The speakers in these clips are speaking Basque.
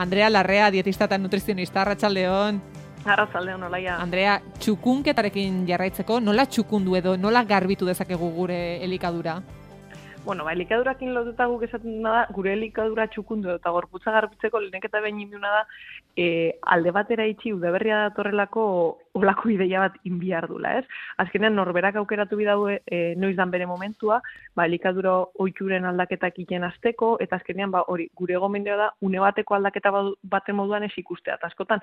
Andrea Larrea, dietista eta nutrizionista, arratsaldeon. Arratsaldeon, Olaia. Andrea, txukunketarekin jarraitzeko, nola txukundu edo nola garbitu dezakegu gure elikadura? Bueno, elikadurakin lotuta guk esaten da, gure elikadura txukundu eta gorputza garbitzeko lehenek eta behin induna da, alde batera itxi udaberria datorrelako olako ideia bat inbiar dula, ez? Azkenean norberak aukeratu bidaue noiz dan bere momentua, elikadura ohituren aldaketak iten azteko, eta azkenean hori gure gomendioa da, une bateko aldaketa baten moduan ez ikustea, eta askotan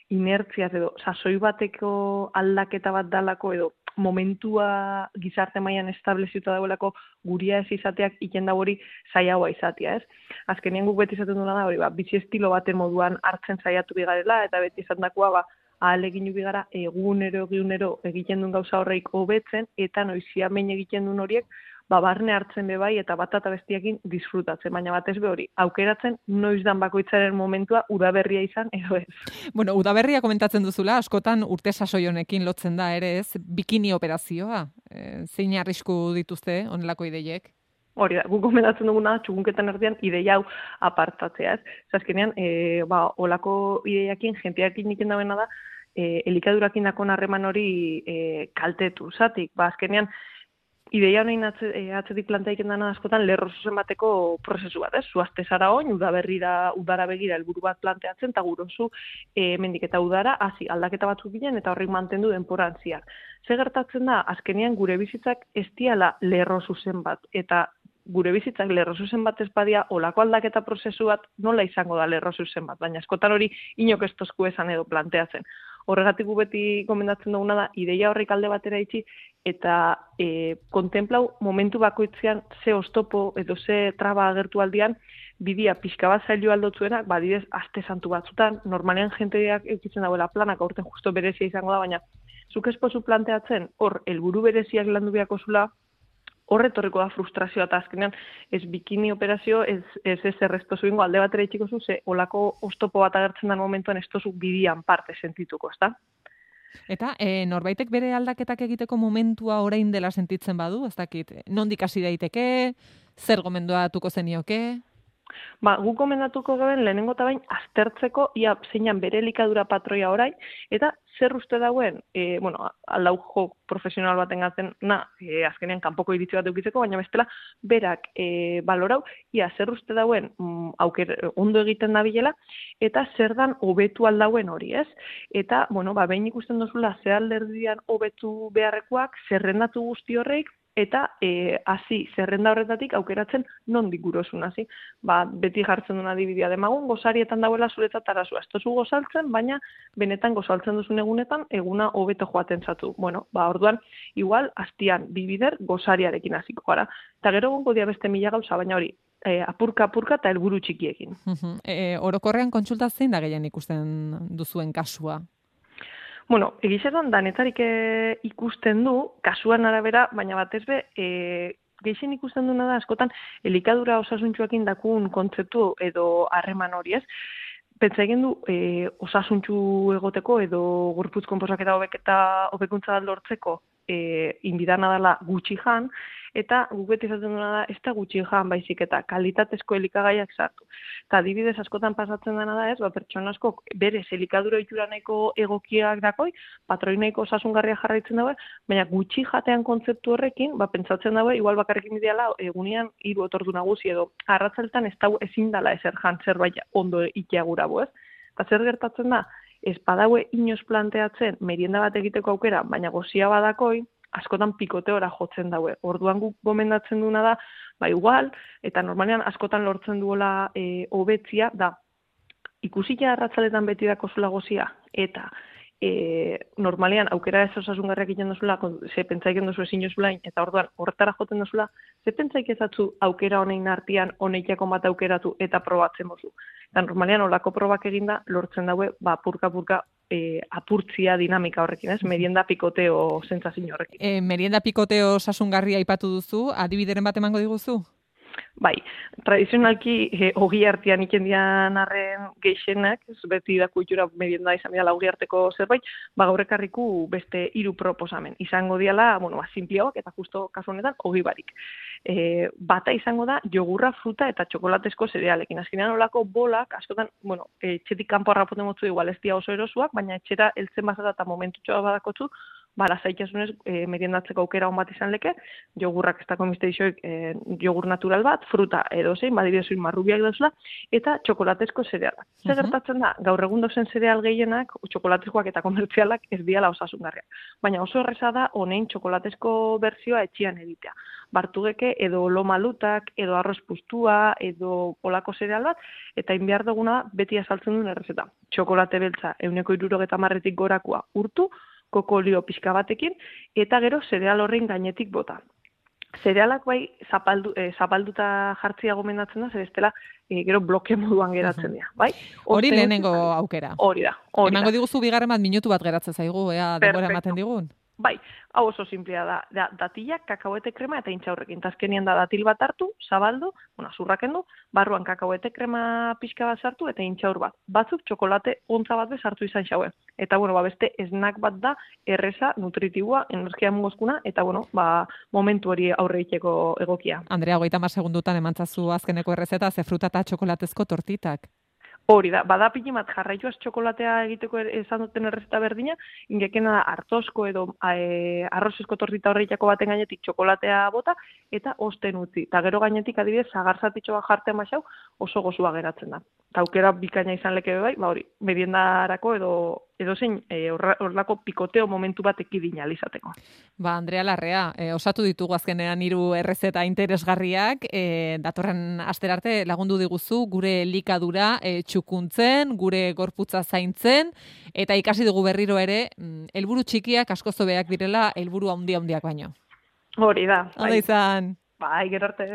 inertziaz edo sasoi bateko aldaketa bat dalako edo momentua gizarte mailan estableziuta dagoelako guria ez izateak iken da hori zailagoa izatea, ez? Azkenean guk beti izaten duena da hori, bizi estilo baten moduan hartzen saiatu bigarela eta beti esandakoa ahalegin bigara egunero egiten duen gauza horreik hobetzen eta noizia behin egiten duen horiek barne hartzen bebai eta bat eta bestiakin disfrutatzen, baina batez be hori, aukeratzen noiz dan bakoitzaren momentua udaberria izan edo ez. Bueno, udaberria komentatzen duzula, askotan urte sasoi honekin lotzen da ere ez, bikini operazioa. Zein arrisku dituzte honelako ideiek? Hori da, guk gomendatzen duguna txukunketan erdian ideia hau apartatzea, ez? Azkenean, olako ideiakin, jenteakin iken dabena da, elikadurakin dakon harreman hori kaltetu, zatik, azkenean, ideia honein atzetik plantaiken dana askotan lerro zuzen bateko prozesu bat, ez? Zuazte zara oin, udara begira helburu bat planteatzen, eta gurozu mendik eta udara, hasi aldaketa batzuk ginen, eta horrek mantendu denporan ziak. Ze gertatzen da, azkenean gure bizitzak ez diala lerro zuzen bat, eta gure bizitzak lerro zuzen bat ez badia, olako aldaketa prozesu bat nola izango da lerro zuzen bat, baina askotan hori inok ez tozku esan edo planteatzen. Horregatik beti gomendatzen duguna da, ideia horrek alde batera itxi, eta kontemplau momentu bakoitzean ze oztopo edo ze traba agertu aldian, bidia pixka bat zailu aldotzuenak, badidez aste santu batzutan, normalean jenteak eukitzen dagoela planak, aurten justo berezia izango da, baina zuk espozu planteatzen, hor, helburu bereziak landu biako zula, horretorriko da frustrazioa eta azkenean ez bikini operazio, ez erreztozu ingo alde batera itxiko zu, ze olako oztopo bat agertzen den momentuan ez tozu bidian parte sentituko, ezta? Eta norbaitek bere aldaketak egiteko momentua orain dela sentitzen badu, ez dakit, nondik hasi daiteke, zer gomendatuko zenioke? Guk gomendatuko gaben lehenengo eta bain aztertzeko ia zeinan bere elikadura patroia orain, eta zer uste dauen, aldau jo profesional baten gaten, azkenean kanpoko iritzi bat eukitzeko, baina bestela berak balorau, ia zer uste dauen ondo egiten dabilela, eta zer dan hobetu aldauen hori, ez? Eta, behin ikusten duzula ze alderdian hobetu beharrekoak, zerrendatu guzti horreik, eta hasi zerrenda horretatik aukeratzen nondik gurosun hasi. Beti jartzen duen adibidea demagun, gozarietan dauela zuretzat arazua. Ez tozu gozaltzen, baina benetan gozaltzen duzun egunetan, eguna hobeto joaten zatu. Orduan, igual, hastian, bibider, gozariarekin hasiko gara. Eta gero gongo dia beste mila gauza, baina hori, apurka eta helburu txikiekin. Orokorrean kontsulta zein da gehien ikusten duzuen kasua? Egizetan danetarik ikusten du, kasuan arabera, baina batez be, gehien ikusten duena da, askotan, elikadura osasuntxuakin dakun kontzeptu edo harreman hori ez. Pentsa egin du, osasuntxu egoteko edo gorputz konposaketa hobekuntza lortzeko inbidana dela gutxi jan, eta guk beti izaten duena da, ez da gutxi jan baizik eta kalitatezko elikagaiak sartu. Eta adibidez askotan pasatzen dena da ez, pertsona asko berez elikadura ohitura nahiko egokiak dakoi, patroi nahiko osasungarria jarraitzen daue, baina gutxi jatean kontzeptu horrekin, pentsatzen daue, igual bakarrekin bideala, egunean 3 ordu nagusi edo arratzaletan ez dago ezin dela ezer jan zerbait ondo ikiagura ez. Eta zer gertatzen da, ez badaue inoz planteatzen merienda bat egiteko aukera, baina gozia badakoi, askotan pikoteora jotzen daue. Orduan guk gomendatzen duena da, igual, eta normalean askotan lortzen duela hobetzia, da ikusila arratzaletan beti dako zula gozia, eta normalean aukera ez osasungarriak egiten duzula, ze pentsaik duzu ezin jozulain, eta orduan horretara joten duzula, ze pentsaik ezatzu aukera honein artean honeikiako bat aukeratu eta probatzen mozu. Eta normalean olako probak eginda lortzen daue, purka-purka apurtzia dinamika horrekin, ez? Merienda pikoteo sentsazio horrekin. Merienda pikoteo osasungarria aipatu duzu, adibideren bat emango diguzu? Bai, tradizionalki ogi artean ikendian arren geixenak, ez beti da kultura merienda izan dira ogi arteko zerbait, gaur ekarriku beste 3 proposamen. Izango diala, sinpliagoak eta justo kasu honetan ogi barik. Bata izango da jogurra, fruta eta txokolatezko zerealekin. Azkenean olako bolak, askotan, etxetik kanpo harrapoten motzu igual ez dira oso erosuak, baina etxera heltzen bazara eta momentutxoa badakotzu, lasaitasunez meriendatzeko aukera on bat izan leke, jogurrak ez dako misteixoik jogur natural bat, fruta edo zein, badidezuin marrubiak dauzela, eta txokolatezko zerealak. Zer gertatzen da, gaur egun dozen zereal gehienak, txokolatezkoak eta komertzialak ez diala osasungarriak. Baina oso erreza da, honein txokolatezko bertsioa etxian egitea. Bartugeke edo lomalutak, edo arroz pustua, edo olako zereal bat, eta inbiar duguna beti azaltzen duen errezeta. Txokolate beltza, 170 gorakoa urtu, koko olio pixka batekin, eta gero zereal horrein gainetik bota. Zerealak bai zapalduta jartzia gomendatzen da, zer estela gero bloke moduan geratzen dira, bai? Hori lehenengo aukera. Hori da. Emango diguzu bigarren bat minutu bat geratzen zaigu, denbora ematen digun. Bai, hau oso simplea da. Datilak, kakaoete krema eta intxaurrekin. Tazkenian da datil bat hartu, zabaldu, zurraken du, barruan kakaoete krema pixka bat sartu eta intxaur bat. Batzuk txokolate ontza bat bezartu izan xaue. Eta, beste esnak bat da, erreza, nutritiboa, energia mugozkuna, eta, momentu hori aurre iteko egokia. Andrea, 30 segundutan emantzazu azkeneko errezeta, ze fruta eta txokolatezko tortitak. Hori da, badapini bat jarraituaz txokolatea egiteko esan duten errezeta berdina, ingekena artozko edo arrozezko tortita horreitako baten gainetik txokolatea bota, eta osten utzi. Eta gero gainetik adibidez, zagarzatitxo bat jartean baxau, oso gozua geratzen da. Eta aukera bikaina izan leke bai, hori, meriendarako edo zein horrelako pikoteo momentu bat ekidin alizateko. Andrea Larrea, osatu ditugu azkenean 3 errezeta interesgarriak, datorren asterarte lagundu diguzu gure elikadura txukuntzen, gure gorputza zaintzen, eta ikasi dugu berriro ere, helburu txikiak asko zobeak direla, helburu handiak baino. Hori da. Ondo izan. Bai, gero arte.